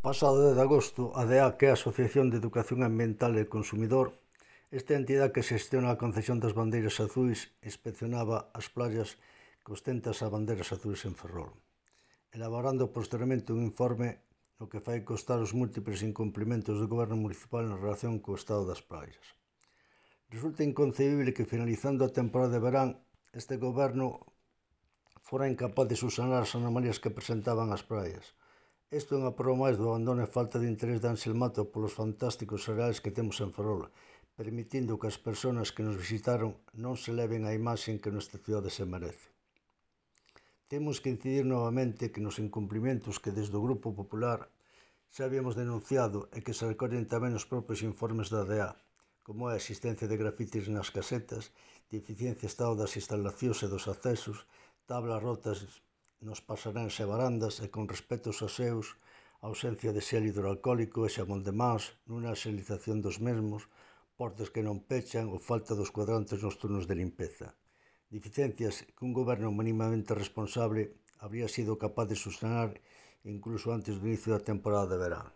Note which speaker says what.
Speaker 1: pasado 10 de agosto, a DEA, que é a Asociación de Educación Ambiental e Consumidor, esta entidade que xestiona a concesión das bandeiras azuis, inspeccionaba as playas que ostentan as bandeiras azuis en Ferrol, elaborando posteriormente un informe no que fai constar os múltiples incumplimentos do goberno municipal en relación co estado das playas. Resulta inconcebible que, finalizando a temporada de verán, este goberno fora incapaz de subsanar as anomalías que presentaban as praias. Isto é unha prova máis do abandono e falta de interés de Ángel Mato polos fantásticos areais que temos en Ferrol, permitindo que as persoas que nos visitaron non se leven a imaxe que nuestra cidade se merece. Temos que incidir novamente que nos incumplimentos que desde o Grupo Popular xa habíamos denunciado e que se recollen tamén nos propios informes da DEA, como a existencia de grafitis nas casetas, deficiencia estado das instalacións e dos accesos, tablas rotas nos pasaréns e barandas e con respecto aos aseos, ausencia de xel hidroalcohólico e xabón de mans, nunha xelización dos mesmos, portas que non pechan ou falta dos cuadrantes nos turnos de limpeza. Deficiencias que un goberno minimamente responsable habría sido capaz de subsanar incluso antes do inicio da temporada de verán.